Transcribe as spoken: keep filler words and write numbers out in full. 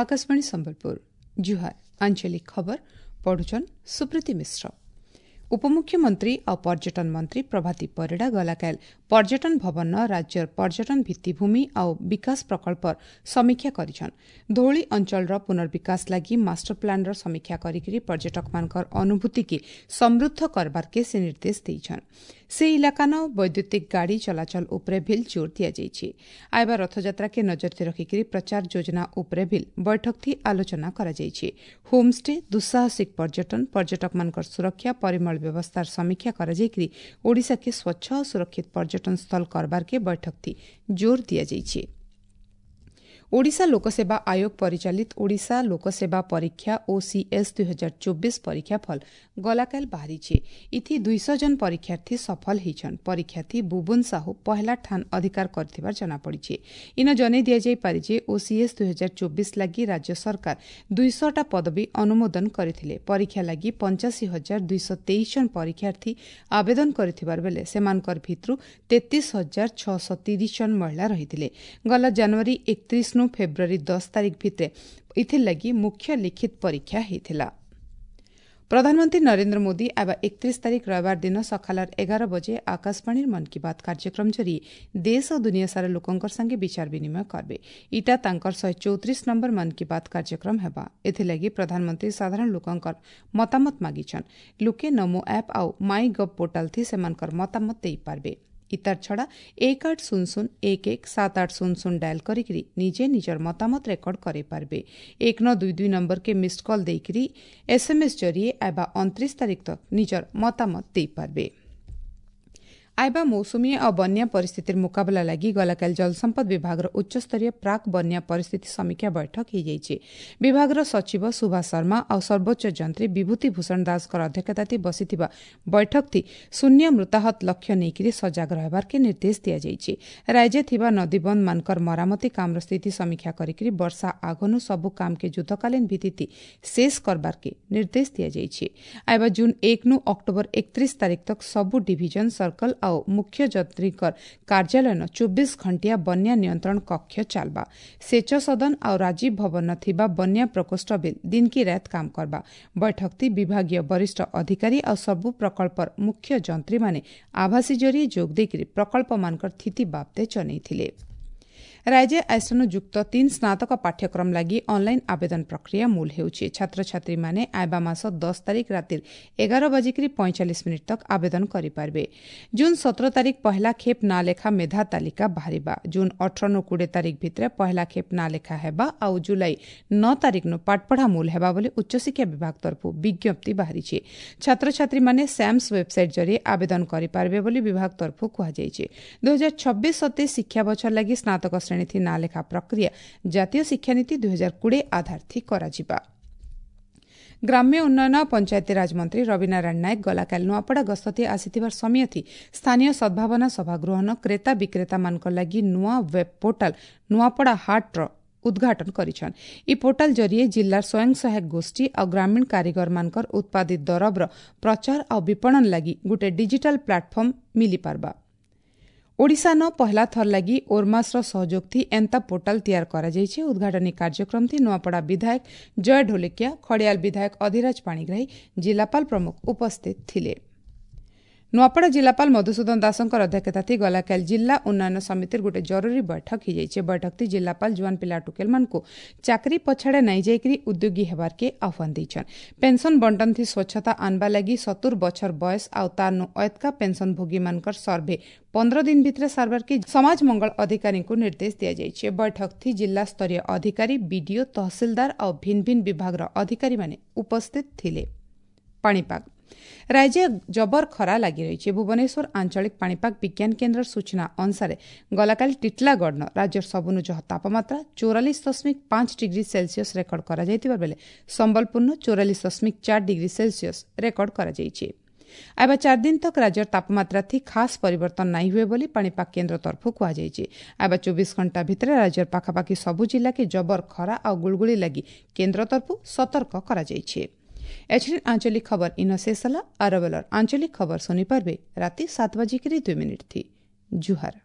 ଆକାଶବାଣୀ ସମ୍ବଲପୁର ଜୁହାର ଆଞ୍ଚଳିକ ଖବର ପଢୁଛନ୍ ସୁପ୍ରୀତି ମିଶ୍ର ଉପମୁଖ୍ୟମନ୍ତ୍ରୀ ଆଉ ପର୍ଯ୍ୟଟନ ମନ୍ତ୍ରୀ ପ୍ରଭାତୀ ପରିଡ଼ା ଗଲାକାଲ ପର୍ଯ୍ୟଟନ ଭବନ ରାଜ୍ୟର ପର୍ଯ୍ୟଟନ ଭିତ୍ତିଭୂମି ଆଉ ବିକାଶ ପ୍ରକଳ୍ପର ସମୀକ୍ଷା କରିଛନ୍ ଧଉଳି ଅଞ୍ଚଳର ପୁନର୍ବିକାଶ ଲାଗି ମାଷ୍ଟର ପ୍ଲାନ୍ର ସମୀକ୍ଷା କରିକିରି ପର୍ଯ୍ୟଟକମାନଙ୍କର ଅନୁଭୂତିକେ ସମୃଦ୍ଧ କରବାର୍କେ ସେ ନିର୍ଦ୍ଦେଶ ଦେଇଛନ୍ ସେ ଇଲାକାନ ବୈଦ୍ୟୁତିକ ଗାଡ଼ି ଚଳାଚଳ ଉପରେ ଭିଲ୍ ଜୋର ଦିଆଯାଇଛି ଆଇବା ରଥଯାତ୍ରାକେ ନଜରରେ ରଖିକିରି ପ୍ରଚାର ଯୋଜନା ଉପରେ ଭିଲ୍ ବୈଠକଥି ଆଲୋଚନା କରାଯାଇଛି ହୋମ୍ଷ୍ଟେ ଦୁଃସାହସିକ ପର୍ଯ୍ୟଟନ ପର୍ଯ୍ୟଟକମାନଙ୍କର ସୁରକ୍ଷା ପରିମଳ ବ୍ୟବସ୍ଥାର ସମୀକ୍ଷା କରାଯାଇକିରି ଓଡ଼ିଶାକେ ସ୍ୱଚ୍ଛ ଓ ସୁରକ୍ଷିତ ପର୍ଯ୍ୟଟନ ସ୍ଥଳ କରବାର୍କେ ବୈଠକଥି ଜୋର ଦିଆଯାଇଛି ଓଡ଼ିଶା ଲୋକସେବା ଆୟୋଗ ପରିଚାଳିତ ଓଡ଼ିଶା ଲୋକସେବା ପରୀକ୍ଷା ଓସିଏସ୍ ଦୁଇ ହଜାର ଚବିଶ ପରୀକ୍ଷାଫଳ ଗଲାକାଲ ବାହାରିଛି ଇଥି ଦୁଇଶହ ଜଣ ପରୀକ୍ଷାର୍ଥୀ ସଫଳ ହେଇଛନ୍ ପରୀକ୍ଷାର୍ଥୀ ବୁବୁନ ସାହୁ ପହଲା ଠାନ ଅଧିକାର କରିଥିବାର ଜଣାପଡ଼ିଛି ଇନ ଜଣାଇ ଦିଆଯାଇପାରେ ଯେ ଓସିଏସ୍ ଦୁଇ ହଜାର ଚବିଶ ଲାଗି ରାଜ୍ୟ ସରକାର ଦୁଇଶହଟା ପଦବୀ ଅନୁମୋଦନ କରିଥିଲେ ପରୀକ୍ଷା ଲାଗି ପଞ୍ଚାଅଶୀ ହଜାର ଦୁଇଶହ ତେଇଶ ଜଣ ପରୀକ୍ଷାର୍ଥୀ ଆବେଦନ କରିଥିବାର ବେଲେ ସେମାନଙ୍କର ଭିତରୁ ତେତିଶ ହଜାର ଛଅଶହ ତିରିଶ ଜଣ ମହିଳା ରହିଥିଲେ ଗଲା ଜାନୁଆରୀ ଏକତ୍ରିଶ ନୁ ଫେବୃଆରୀ ଦଶ ତାରିଖ ଭିତରେ ଏଥିର୍ଲାଗି ମୁଖ୍ୟ ଲିଖିତ ପରୀକ୍ଷା ହୋଇଥିଲା ପ୍ରଧାନମନ୍ତ୍ରୀ ନରେନ୍ଦ୍ର ମୋଦି ଆବା ଏକତ୍ରିଶ ତାରିଖ ରବିବାର ଦିନ ସକାଳର ଏଗାର ବଜେ ଆକାଶବାଣୀର ମନ୍ କି ବାତ୍ କାର୍ଯ୍ୟକ୍ରମ ଜରିଏ ଦେଶ ଓ ଦୁନିଆ ସାରା ଲୋକଙ୍କର ସାଙ୍ଗେ ବିଚାର ବିନିମୟ କରିବେ ଇଟା ତାଙ୍କର ଶହେ ଚଉତିରିଶ ନମ୍ବର ମନ୍ କି ବାତ୍ କାର୍ଯ୍ୟକ୍ରମ ହେବା ଏଥିଲାଗି ପ୍ରଧାନମନ୍ତ୍ରୀ ସାଧାରଣ ଲୋକଙ୍କର ମତାମତ ମାଗିଛନ୍ ଲୋକେ ନମୋ ଆପ୍ ଆଉ ମାଇ ଗଭ୍ ପୋର୍ଟାଲ ଥି ସେମାନଙ୍କର ମତାମତ ଦେଇପାରିବେ ଇତାର ଛଡ଼ା ଏକ ଆଠ ଶୂନ ଶୂନ ଏକ ଏକ ସାତ ଆଠ ଶୂନ ଶୂନ ଡାଏଲ୍ କରିକିରି ନିଜେ ନିଜର ମତାମତ ରେକର୍ଡ କରାଇପାରିବେ ଏକ ନଅ ଦୁଇ ଦୁଇ ନମ୍ବରକେ ମିସ୍ଡ କଲ୍ ଦେଇକିରି ଏସ୍ଏମ୍ଏସ୍ ଜରିଏ ଆଇବା ଅଣତିରିଶ ତାରିଖ ତକ୍ ନିଜର ମତାମତ ଦେଇପାରିବେ ଆଇବା ମୌସୁମୀ ଆଉ ବନ୍ୟା ପରିସ୍ଥିତିର ମୁକାବିଲା ଲାଗି ଗଲାକାଲି ଜଳସମ୍ପଦ ବିଭାଗର ଉଚ୍ଚସ୍ତରୀୟ ପ୍ରାକ୍ ବନ୍ୟା ପରିସ୍ଥିତି ସମୀକ୍ଷା ବୈଠକ ହୋଇଯାଇଛି ବିଭାଗର ସଚିବ ସୁଭାଷ ଶର୍ମା ଆଉ ସର୍ବୋଚ୍ଚ ଯନ୍ତ୍ରୀ ବିଭୂତି ଭୂଷଣ ଦାସଙ୍କର ଅଧ୍ୟକ୍ଷତାରେ ବସିଥିବା ବୈଠକଥି ଶୂନ୍ୟ ମୃତାହତ ଲକ୍ଷ୍ୟ ନେଇକରି ସଜାଗ ରହିବାର୍କେ ନିର୍ଦ୍ଦେଶ ଦିଆଯାଇଛି ରାଜ୍ୟ ଥିବା ନଦୀବନ୍ଧମାନଙ୍କର ମରାମତି କାମର ସ୍ଥିତି ସମୀକ୍ଷା କରିକି ବର୍ଷା ଆଗନୁ ସବୁ କାମକେ ଯୁଦ୍ଧକାଳୀନ ଭିତ୍ତିରେ ଶେଷ କରବାର୍କେ ନିର୍ଦ୍ଦେଶ ଦିଆଯାଇଛି ଆଇବା ଜୁନ୍ ଏକ ନୁ ଅକ୍ଟୋବର ଏକତ୍ରିଶ ତାରିଖ ତକ୍ ସବୁ ଡିଭିଜନ ସର୍କଲ ଆଉ ମୁଖ୍ୟ ଯନ୍ତ୍ରୀଙ୍କର କାର୍ଯ୍ୟାଳୟନ ଚବିଶ ଘଣ୍ଟିଆ ବନ୍ୟା ନିୟନ୍ତ୍ରଣ କକ୍ଷ ଚାଲବା ସେଚ ସଦନ ଆଉ ରାଜୀବ ଭବନ ଥିବା ବନ୍ୟା ପ୍ରକୋଷ୍ଠ ବିଲ୍ ଦିନ କି ରାତ କାମ କରବା ବୈଠକଥି ବିଭାଗୀୟ ବରିଷ୍ଠ ଅଧିକାରୀ ଆଉ ସବୁ ପ୍ରକଳ୍ପର ମୁଖ୍ୟ ଯନ୍ତ୍ରୀମାନେ ଆଭାସୀ ଜରିଏ ଯୋଗ ଦେଇକରି ପ୍ରକଳ୍ପମାନଙ୍କର ସ୍ଥିତି ବାବଦେ ଜଣାଇଥିଲେ ରାଜ୍ୟ ଆଇସନୁ ଯୁକ୍ତ ତିନି ସ୍ନାତକ ପାଠ୍ୟକ୍ରମ ଲାଗି ଅନ୍ଲାଇନ୍ ଆବେଦନ ପ୍ରକ୍ରିୟା ମୂଲ ହେଉଛି ଛାତ୍ରଛାତ୍ରୀମାନେ ଆଇବା ମାସ ଦଶ ତାରିଖ ରାତିର ଏଗାର ବାଜିକିରି ପଇଁଚାଳିଶ ମିନିଟ୍ ତକ୍ ଆବେଦନ କରିପାରିବେ ଜୁନ୍ ସତର ତାରିଖ ପହଲା ଖେପ୍ ନାଁ ଲେଖା ମେଧା ତାଲିକା ବାହାରିବା ଜୁନ୍ ଅଠର ନୁ କୋଡ଼ିଏ ତାରିଖ ଭିତରେ ପହଲା ଖେପ୍ ନାଁ ଲେଖା ହେବା ଆଉ ଜୁଲାଇ ନଅ ତାରିଖ ନୁ ପାଠପଢ଼ା ମୂଲ ହେବା ବୋଲି ଉଚ୍ଚଶିକ୍ଷା ବିଭାଗ ତରଫରୁ ବିଜ୍ଞପ୍ତି ବାହାରିଛି ଛାତ୍ରଛାତ୍ରୀମାନେ ସ୍ୟାମ୍ସ ୱେବସାଇଟ୍ ଜରିଏ ଆବେଦନ କରିପାରିବେ ବୋଲି ବିଭାଗ ତରଫରୁ କୁହାଯାଇଛି ଦୁଇ ହଜାର ଛବିଶ ସତେଇଶ ଶିକ୍ଷା ବଛର ଲାଗି ସ୍ନାତକ ଶ୍ରେଣୀ ନାଁ ଲେଖା ପ୍ରକ୍ରିୟା ଜାତୀୟ ଶିକ୍ଷାନୀତି ଦୁଇ ହଜାର କୋଡ଼ିଏ ଆଧାରଥି କରାଯିବା ଗ୍ରାମ୍ୟ ଉନ୍ନୟନ ପଞ୍ଚାୟତିରାଜ ମନ୍ତ୍ରୀ ରବିନାରାୟଣ ନାୟକ ଗଲାକାଲି ନୂଆପଡ଼ା ଗସ୍ତଥି ଆସିଥିବାର ସମୟଥି ସ୍ଥାନୀୟ ସଦ୍ଭାବନା ସଭାଗୃହନ କ୍ରେତା ବିକ୍ରେତାମାନଙ୍କ ଲାଗି ନୂଆ ୱେବ୍ ପୋର୍ଟାଲ ନୂଆପଡ଼ା ହାଟ୍ର ଉଦ୍ଘାଟନ କରିଛନ୍ ଇ ପୋର୍ଟାଲ ଜରିଏ ଜିଲ୍ଲାର ସ୍ୱୟଂ ସହାୟକ ଗୋଷ୍ଠୀ ଆଉ ଗ୍ରାମୀଣ କାରିଗରମାନଙ୍କର ଉତ୍ପାଦିତ ଦରବର ପ୍ରଚାର ଆଉ ବିପଣନ ଲାଗି ଗୋଟେ ଡିଜିଟାଲ ପ୍ଲାଟଫର୍ମ ମିଳିପାରବା ଓଡ଼ିଶାନ ପହଲା ଥର ଲାଗି ଓର୍ମାସ୍ର ସହଯୋଗଥି ଏନ୍ତା ପୋର୍ଟାଲ ତିଆର କରାଯାଇଛି ଉଦ୍ଘାଟନୀ କାର୍ଯ୍ୟକ୍ରମଥି ନୂଆପଡ଼ା ବିଧାୟକ ଜୟ ଢୋଲକିଆ ଖଡ଼ିଆଲ ବିଧାୟକ ଅଧିରାଜ ପାଣିଗ୍ରାହୀ ଜିଲ୍ଲାପାଳ ପ୍ରମୁଖ ଉପସ୍ଥିତ ଥିଲେ ନୂଆପଡ଼ା ଜିଲ୍ଲାପାଳ ମଧୁସୂଦନ ଦାସଙ୍କର ଅଧ୍ୟକ୍ଷତାଥି ଗଲାକାଲି ଜିଲ୍ଲା ଉନ୍ନୟନ ସମିତିର ଗୋଟେ ଜରୁରୀ ବୈଠକ ହୋଇଯାଇଛି ବୈଠକଥି ଜିଲ୍ଲାପାଳ ଜୁଆନ ପିଲା ଟୁକେଲମାନଙ୍କୁ ଚାକିରି ପଛାଡ଼େ ନାଇଁ ଯାଇକରି ଉଦ୍ୟୋଗୀ ହେବାର୍କେ ଆହ୍ୱାନ ଦେଇଛନ୍ ପେନ୍ସନ୍ ବଣ୍ଟନଥି ସ୍ୱଚ୍ଛତା ଆନବା ଲାଗି ସତୁର ବଛର ବୟସ ଆଉ ତାରନୁ ଅୟତ୍କା ପେନ୍ସନ୍ ଭୋଗୀମାନଙ୍କର ସର୍ଭେ ପନ୍ଦର ଦିନ ଭିତରେ ସାରବାର୍କେ ସମାଜ ମଙ୍ଗଳ ଅଧିକାରୀଙ୍କୁ ନିର୍ଦ୍ଦେଶ ଦିଆଯାଇଛି ବୈଠକଥି ଜିଲ୍ଲାସ୍ତରୀୟ ଅଧିକାରୀ ବିଡିଓ ତହସିଲଦାର ଆଉ ଭିନ୍ନ ଭିନ୍ନ ବିଭାଗର ଅଧିକାରୀମାନେ ଉପସ୍ଥିତ ଥିଲେ ପାଣିପାଗ ରାଜ୍ୟ ଜବର ଖରା ଲାଗି ରହିଛି ଭୁବନେଶ୍ୱର ଆଞ୍ଚଳିକ ପାଣିପାଗ ବିଜ୍ଞାନ କେନ୍ଦ୍ରର ସୂଚନା ଅନୁସାରେ ଗଲାକାଲି ଟିଟଲାଗଡ଼ନ ରାଜ୍ୟର ସବୁନୁ ଜହ ତାପମାତ୍ରା ଚଉରାଳିଶ ଦଶମିକ ପାଞ୍ଚ ଡିଗ୍ରୀ ସେଲସିୟସ୍ ରେକର୍ଡ କରାଯାଇଥିବା ବେଳେ ସମ୍ବଲପୁରନୁ ଚଉରାଳିଶ ଦଶମିକ ଚାରି ଡିଗ୍ରୀ ସେଲସିୟସ୍ ରେକର୍ଡ କରାଯାଇଛି ଆଇବା ଚାରି ଦିନ ତକ୍ ରାଜ୍ୟର ତାପମାତ୍ରା ଥି ଖାସ୍ ପରିବର୍ତ୍ତନ ନାଇଁ ହୁଏ ବୋଲି ପାଣିପାଗ କେନ୍ଦ୍ର ତରଫରୁ କୁହାଯାଇଛି ଆଇବା ଚବିଶ ଘଣ୍ଟା ଭିତରେ ରାଜ୍ୟର ପାଖାପାଖି ସବୁ ଜିଲ୍ଲାକେ ଜବର ଖରା ଆଉ ଗୁଳୁଗୁଳି ଲାଗି କେନ୍ଦ୍ର ତରଫରୁ ସତର୍କ କରାଯାଇଛି ଏଛିନ୍ ଆଞ୍ଚଳିକ ଖବର ଇନ ଶେଷ ହେଲା ଆରବେଲର ଆଞ୍ଚଳିକ ଖବର ଶୁଣିପାରିବେ ରାତି ସାତ ବାଜିକିରି ଦୁଇ ମିନିଟ୍ ଥି ଜୁହାର